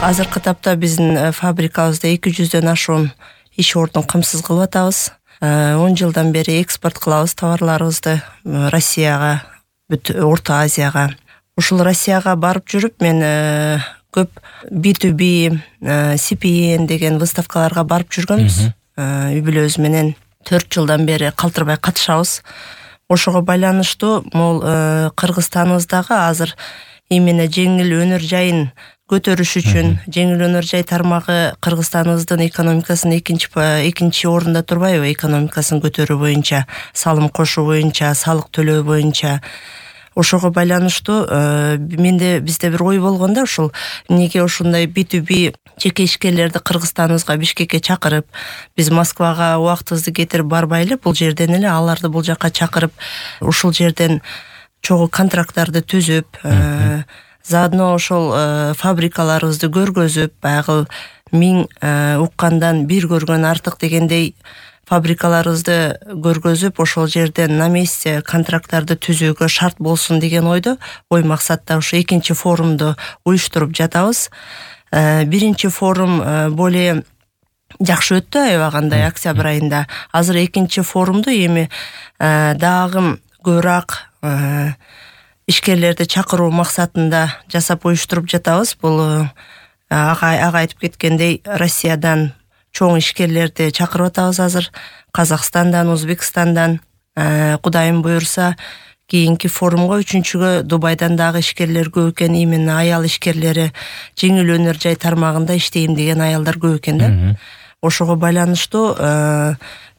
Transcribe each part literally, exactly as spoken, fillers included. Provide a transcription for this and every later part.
Азыркы тапта биздин фабрикабызда эки жүздөн ашуун иш ордун камсыз кылып атабыз. он жылдан бери экспорт кылабыз товарларыбызды Россияга, бүт Орто Азияга. Ушул Россияга барып жүрүп мен көп би ту би, си пи эн деген выставкаларга барып жүргөнбүз. Үй бүлөбүз менен төрт жылдан бери калтырбай катышабыз. Ошого байланыштуу могул Кыргызстаныбыздагы азыр именно жеңил өнөр жайын көтөрүш үчүн, жеңил өнөр жай тармагы Кыргызстаныбыздын экономикасынын экинчи экинчи орунда турбайбы? Экономикасын көтөрүү боюнча, салым кошуу боюнча, салык төлөө боюнча. Ошого байланыштуу менде бизде бир ой болгондо, ушул эмнеге ушундай би ту би жеке ишкерлерди Кыргызстаныбызга, Бишкекке чакырып, биз Москвага убактыбызды кетирип барбайлы, бул жерден эле аларды бул жака чакырып, ушул жерден чогуу контракттарды түзүп, заодно ошол фабрикаларыбызды көргөзүп, баягы миң уккандан бир көргөн артык дегендей фабрикаларыбызды көргөзүп, ошол жерден на месте контракттарды түзүүгө шарт болсун деген ойдо, ой максатта ушу экинчи форумду уюштуруп жатабыз. Биринчи форум более жакшы өттү, аябагандай октябрь айында. Азыр экинчи форумду эми дагы көбүрөөк ишкерлерди чакыруу максатында жасап уюштуруп жатабыз. Бул ага айтып кеткендей Россиядан чоң ишкерлерди чакырып атабыз азыр. Казакстандан, Өзбекстандан, Кудайым буюрса, кийинки форумга үчүнчүгө Дубайдан дагы ишкерлер көп экен, именно аял ишкерлери жеңил өнөр жай тармагында иштейм деген аялдар көп экен да. Ошого байланыштуу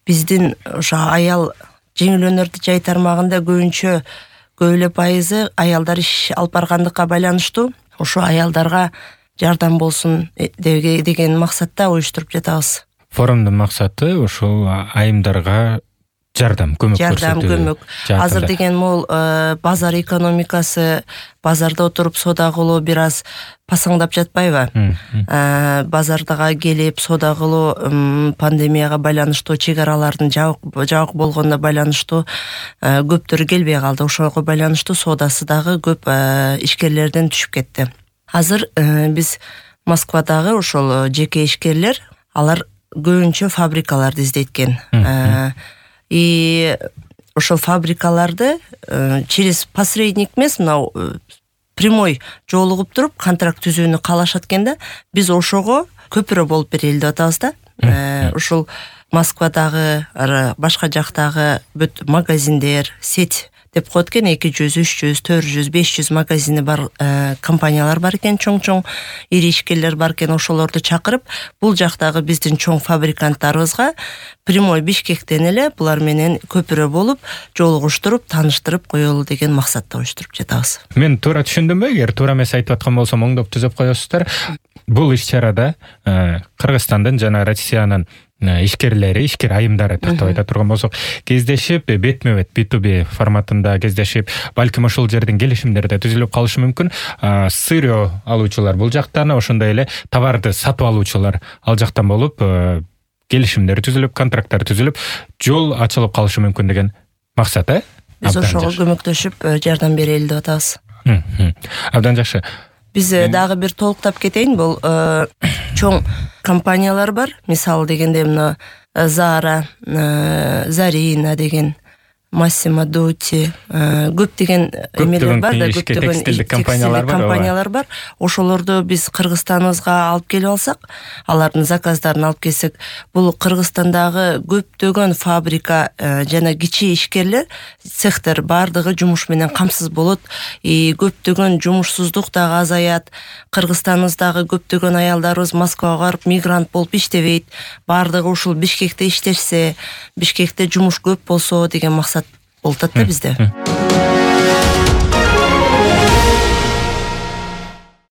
биздин ошо аял жеңил өнөр жай тармагында көбүнчө көп эле пайызы аялдар иш алып баргандыкка байланыштуу ошо аялдарга жардам болсун деген максатта уюштуруп жатабыз. Форумдун максаты ушул айымдарга жардам, көмөк көрсөтүү. Жардам, көмөк. Азыр деген могул базар экономикасы, базарда отуруп соода кылуу бир аз пасаңдап жатпайбы? Базардага келип соода кылуу пандемияга байланыштуу, чек аралардын жабык болгонуна байланыштуу көптөр келбей калды. Ошого байланыштуу соодасы дагы көп ишкерлерден түшүп кетти. Азыр биз Москвадагы ошол жеке ишкерлер, алар көбүнчө фабрикаларды издейт-кен. И ошол фабрикаларды через посредник эмес, мынау прямой жолугуп туруп контракт түзүүнү каалашат экен да. Биз ошого көпүрө болуп берели деп атабыз да. Ушул Москвадагы, башка жактагы бүт магазиндер, сеть деп коет экен, эки жүз, үч жүз, төрт жүз, беш жүз магазини бар компаниялар бар экен, чоң-чоң ири ишкерлер бар экен. Ошолорду чакырып, бул жактагы биздин чоң фабриканттарыбызга прямой Бишкектен эле булар менен көпүрө болуп, жолугуштуруп, тааныштырып коелу деген максатта уюштуруп жатабыз. Мен туура түшүндүмбү? Эгер туура эмес айтып аткан болсом, оңдоп түзөп коесуздар. Бул иш-чарада Кыргызстандын жана Россиянын ишкерлери, ишкер айымдары тартып айта турган болсок, кездешип, бетме бет би ту би форматында кездешип, балким ошол жерден келишимдер да түзүлүп калышы мүмкүн. Сырьё алуучулар бул жактан, ошондой эле товарды сатып алуучулар ал жактан болуп, келишимдер түзүлүп, контракттар түзүлүп, жол ачылып калышы мүмкүн деген максат, э? Биз ошого көмөктөшүп, жардам берели деп атабыз. Абдан жакшы. Биз дагы бир толуктап кетейин, бул чоң компаниялар бар. Мисалы дегенде мына Zara, Zarina деген, Massimo Dutti, көп деген эмелер бар да, көп деген текстилдик компаниялар бар. Ошолорду биз Кыргызстаныбызга алып келип алсак, алардын заказдарын алып келсек, бул Кыргызстандагы көптөгөн фабрика жана кичи ишкерлер, цехтер бардыгы жумуш менен камсыз болот. И көптөгөн жумушсуздук дагы азаят. Кыргызстаныбыздагы көптөгөн аялдарыбыз Москвага барып мигрант болуп иштебейт. Бардыгы ушул Бишкекте иштешсе, Бишкекте жумуш көп болсо деген максат болот да бизде.